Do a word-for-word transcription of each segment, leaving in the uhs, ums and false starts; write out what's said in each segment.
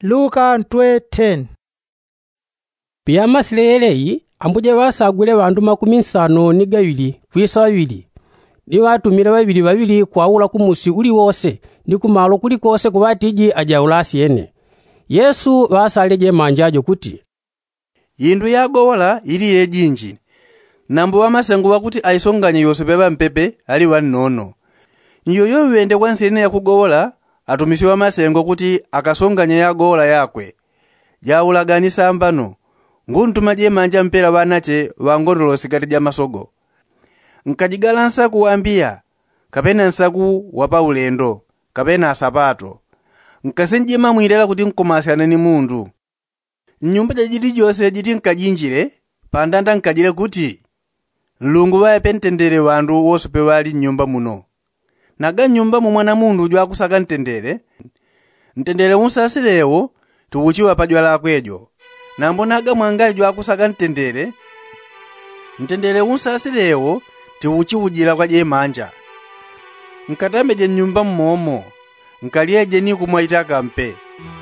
Luka ntwe ten. Piyamasile yeleyi, ambuje ŵasagwile ŵandu makumi nsano ni gaŵili kwisa ŵaŵili, ni ŵatumile ŵaŵili ŵaŵili kwaula kumusi uliwose ni kumalo kulikose kuŵatiji ajaula asyene. Yesu ŵasalile jemanja jo kuti, indu yagowola ili yejinji, nambo ŵamasengo ŵakuti aisonganye yosepe ŵampepe ali ŵannono. Nyoyo ŵende kwa nsilene yakugowola, atumisye ŵamasengo kuti akasonganye yagowola yakwe. Jaulaga ni sambano, nguntuma jemanja mpela ŵanache ŵangondolo sikati ja masogo. Nkajigala nsaku wa mbiya, kapena nsaku wa paulendo, kapena asapato. Nkasinjima mwilela kuti nkomasyane ni mundu. Nnyumba jajilijose jiti nkajinjile, pandanda nkajile kuti, nlungu ŵaepe ntendele ŵandu wosepe ŵali nnyumba muno. Naga nnyumba mu mwana mundu jwakusaka ntendele, ntendele unsasile wo tiuchiŵa pajwalakwe jo. Nambo naga mwangali jwakusaka ntendele, ntendele unsasile wo tiuchiujila kwa jemanja. Nkatambeje nnyumba mmomo, nkalyeje ni kumwa itaka mpe,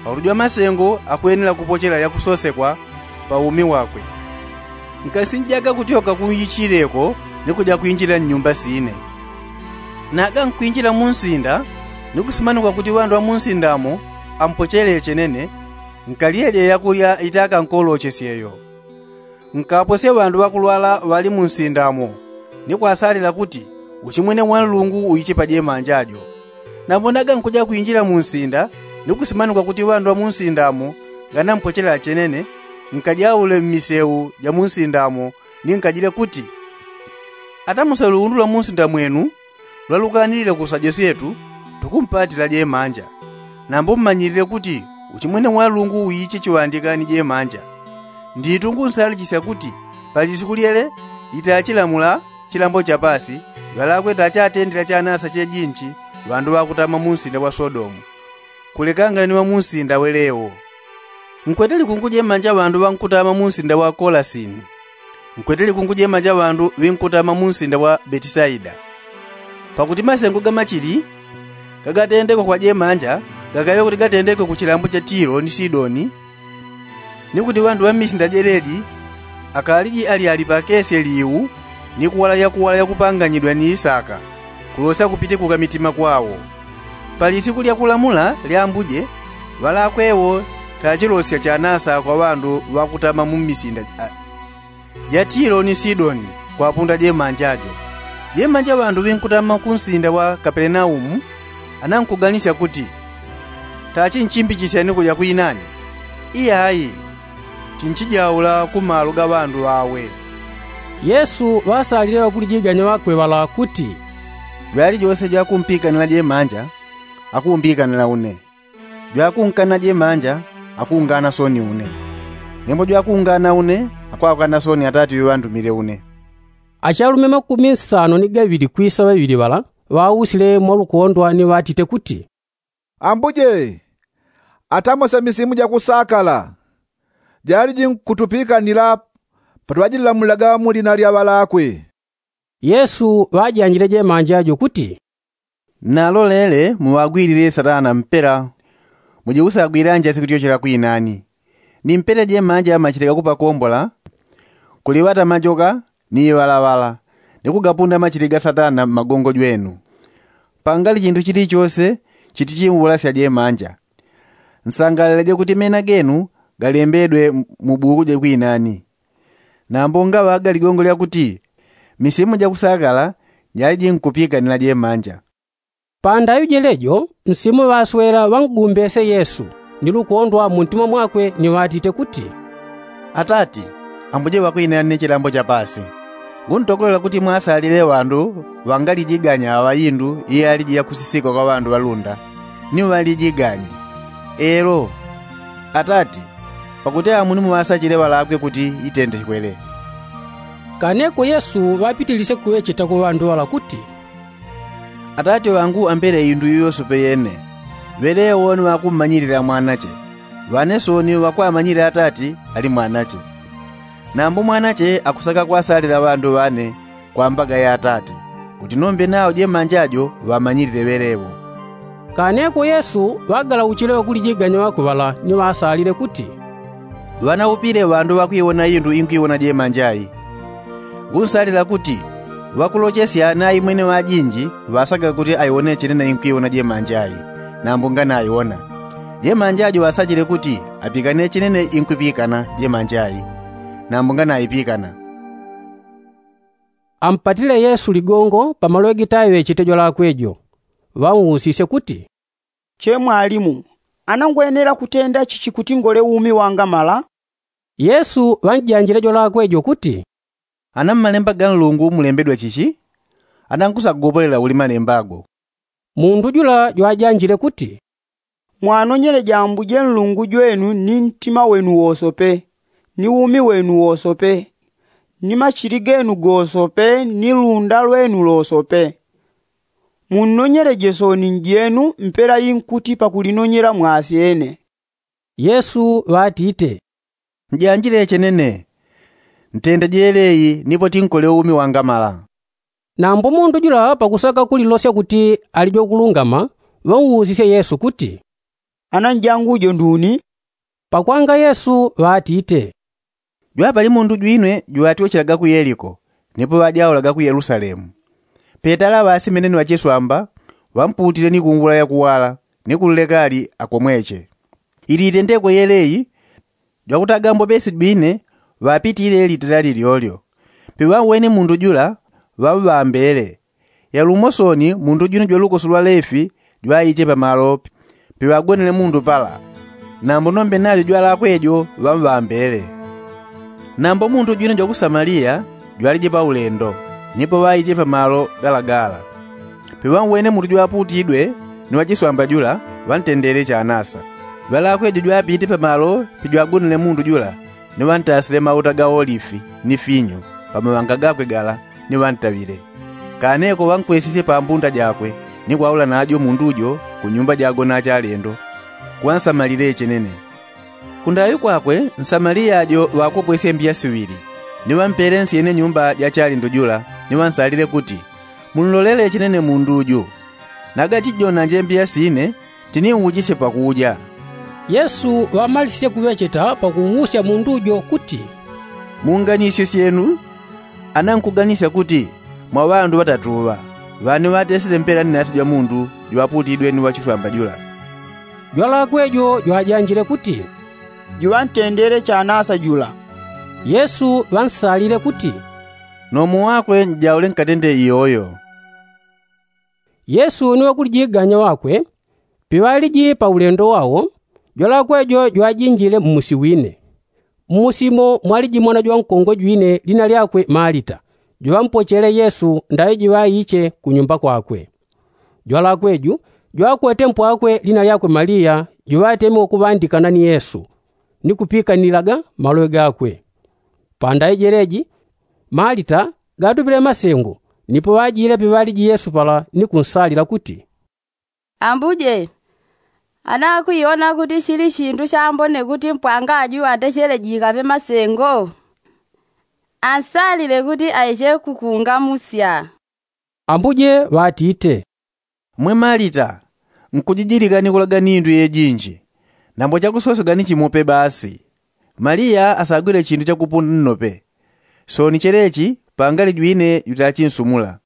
pakuti jwamasengo akwenela kupochela yakusosekwa pa umi wakwe. Nkasinjaga kutyoka kunyichileko ni kuja kwinjila nnyumba sine. Naga nkwinjila munsinda, ni kusimanikwa kuti ŵandu ŵa munsinda mo ampochele chenene, nkalyeje yakulya itaka nkolochesye yo. Nkaposye ŵandu ŵakulwala ŵali munsinda mo, ni kwasalila kuti uchimwene wa nlungu uiche pa jemanja jo. Nambo naga nkuja kwinjila munsinda, ni kusimanikwa kuti ŵandu ŵa munsinda mo nganampochela chenene, nkajaule mmiseu ja munsinda mo, ni nkajile kuti, atamuse luundu lwa munsinda mwenu lwalukanilile kusa josyetu, tukumpatila jemanja. Nambo mmanyilile kuti uchimwene wa nlungu uiche chiŵandika ni jemanja. Nditu ngunsalichisya kuti pa lisiku lyele litachilamula chilambo cha pasi, ŵalakwe tachatendela chanasa chejinchi ŵandu ŵakutama munsinda wa sodomu, kulekangana ni ŵa munsinda welewo. Nkwete likungu jemanja ŵandu ŵankutama munsinda wa kolasini. Nkwete likungu jemanja ŵandu ŵinkutama munsinda wa betisaida. Pakuti masengo ga machili gagatendekwe kwa jemanja gakaŵe kuti gatendekwe ku chilambo cha tilo ni sidoni, ni kuti ŵandu ŵa mmisinda jeleji akaliji alyali pakesye liu, ni kuwala yakuwala yakupanganyidwa ni isaka, kulosya kupitikuka mitima kwawo. Pa lisiku lya kulamula lya ambuje, ŵalakwe wo tachilosya chanasa kwa ŵandu ŵakutama mu misinda ja, ja tilo ni sidoni, kwapunda jemanja jo. Jemanja ŵandu ŵinkutama ku nsinda wa kapelenaumu anankuganisya kuti, tachinchimbichisya ni kuja kwinani? Iyayi, chinchijaula ku malo ga ŵandu ŵawe. Yesu ŵasalile ŵakulijiganya ŵakwe ŵala kuti, jwalijose jwakumpikanila jemanja, akumbikanila une. Jwakunkana jemanja, akungana soni une. Nembo jwakungana une, akwakana soni atati ŵeŵandumile une. Achalume makumi nsano ni gaŵili kwisa ŵaŵili ŵala ŵausile mwa lukondwa ni ŵatite kuti, ambuje, atamose misimu jakusakala jaliji nkutupikanila patwajilamulaga mu lina lya ŵalakwe. Yesu ŵajanjile jemanja jo kuti, nalolele muŵagwilile satana mpela, muje usagwilanja sikutyochela kwinani. Ni mpela jemanja machile gakupakombola, kuliŵata majoka ni iŵalaŵala, ni kugapunda machili ga satana mmagongo jwenu. Pangali chintu chilichose chitichiulasya jemanja. Nsangalaleje kuti mena genu galembedwe mu buku ja kwinani. Nambo ngaŵaga ligongo lyakuti, misimu jakusakala jaliji nkupikanila jemanja. Pandaŵi jelejo nsimu ŵaswela ŵangumbese yesu, ni lukondwa muntima mwakwe ni ŵatite kuti, atati, ambuje ŵakwinani ni chilambo cha pasi. Nguntokolela kuti mwasalile ŵandu ŵangalijiganya aŵa indu iyaliji yakusisikwa kwa ŵandu ŵalunda, ni ŵalijiganye. Elo, atati, pakuti amuni muŵasachile ŵalakwe kuti itendekwele. Kaneko yesu ŵapitilisye kuŵecheta kwa ŵandu ŵala kuti, atati ŵangu ambele indu iyo yosepe yene. Ŵelewo ni ŵakummanyilila mwanache, ŵane soni ŵakwamanyile atati ali mwanache. Nambo mwanache akusaka kwasalila ŵandu ŵane kwa mbaga ya atati, kuti nombe nawo jemanja jo ŵamanyilile ŵelewo. Kaneko yesu ŵagalauchile ŵakulijiganya ŵakwe ŵala ni ŵasalile kuti, ŵanaupile ŵandu ŵakwiwona indu inkwiwona jemanja i. Ngunsalila kuti ŵakulochesya naimwene ŵajinji ŵasaga kuti aiwone chenene inkwiwona jemanja i. Nambo nganaiwona jemanja jo ŵasachile kuti apikane chenene inkwipikana jemanja i. Nambo nganaipikana. Ampatile yesu ligongo pamalo gitaŵechete jwalakwe jo. Ŵausisye kuti, che mwalimu, ana ngwenela kutenda chichi kuti ngole umi wangamala? Yesu ŵanjanjile jwalakwe jo kuti, ana mmalemba ga nlungu mulembedwa chichi? Ana nkusagopolela uli malemba go? Mundu jula jwajanjile kuti, mwanonyeleje ambuje nlungu jwenu ni ntima wenu wosope, ni umi wenu wosope, ni machili genu gosope ni lunda lwenu losope. Munnonyeleje sooni njenu mpela inkuti pakulinonyela mwasyene. Yesu ŵatite, njanjile chenene. Ntendeje yeleyi nipo tinkole umi wangamala. Nambo mundu jula pakusaka kulilosya kuti ali jwakulungama, ŵausisye yesu kuti, ana njangu jo nduni? Pakwanga yesu ŵatite, jwapali mundu jwine jwatiwochelaga ku yeliko, nipo ŵajaulaga ku yelusalemu. Petala ŵasimene ni ŵachiswamba ŵamputile ni kungula yakuwala, ni kunleka ali akomweche. Ili itendekwe yeleyi, jwakutaga mbopesi jwine ŵapitile litela lilyolyo. Piŵauwene mundu jula ŵamŵambele. Yalumo sooni mundu jwine jwalukoso lwa lefi jwaiche pamalo piŵagonele mundu pala. Nambo nombe najo jwalakwejo ŵamŵambele. Nambo mundu jwine jwaku samaliya jwalije paulendo, nipo ŵaiche pamalo galagala. Piŵauwene mundu jwaputidwe ni ŵachiswamba jula, ŵantendele chanasa. Jwalakwejo jwapite pamalo pijwagonele mundu jula, ni ŵantasile mauta ga olifi ni finyu pamaŵanga gakwe gala, ni ŵantaŵile. Kaneko ŵankwesisye pambunda jakwe, ni kwaula najo mundu jo kunyumba jagona achalendo, kuŵansamalile chenene. Kundaŵi kwakwe nsamaliya jo ŵakopwesye mbiya siŵili, ni ŵampele nsyene nyumba ja chalendo jula, ni ŵansalile kuti, munlolele chenene mundu ju. Nagati jonanje mbiya sine, tiniuchisye pakuja. Yesu ŵamalisisye kuŵecheta pakuusya mundu jo kuti, munganisyo syenu. Ana nkuganisya kuti mwa ŵandu ŵatatu ŵa, ŵani ŵatesile mpela ni nasi jwa mundu jwaputidwe ni ŵachiswamba jula? Jwalakwe jo jwajanjile kuti, jwantendele chanasa jula. Yesu ŵansalile kuti, nomo wakwe njaule nkatende iyoyo. Yesu ni ŵakulijiganya ŵakwe piŵaliji paulendo wao, jwalakwe jo jwajinjile mmusi wine. Mmusi mo mwaliji mwana jwankongwe jwine lina lyakwe malita, juŵampochele yesu ndaŵe jiŵaiche kunyumba kwakwe. Jwalakwe ju jwakwete mpwakwe lina lyakwe maliya, juŵateme wakuŵandikana ni yesu, ni kupikanilaga maloŵe gakwe. Pandaŵe jeleji malita gatupile masengo, nipo ŵajile piŵaliji yesu pala ni kunsalila kuti, ambuje, ana akwiona kuti chili chindu chambone kuti mpwanga aju atechele jikaŵe masengo? Ansalile kuti aiche kukungamusya. Ambuje ŵatite, mwe malita, nkujijilika ni kulaga ni indu yejinji, nambo chakusosega ni chimope basi. Maliya asagwile chindu chakupunda nnope, sooni chelechi pangali jwine jutachinsumula.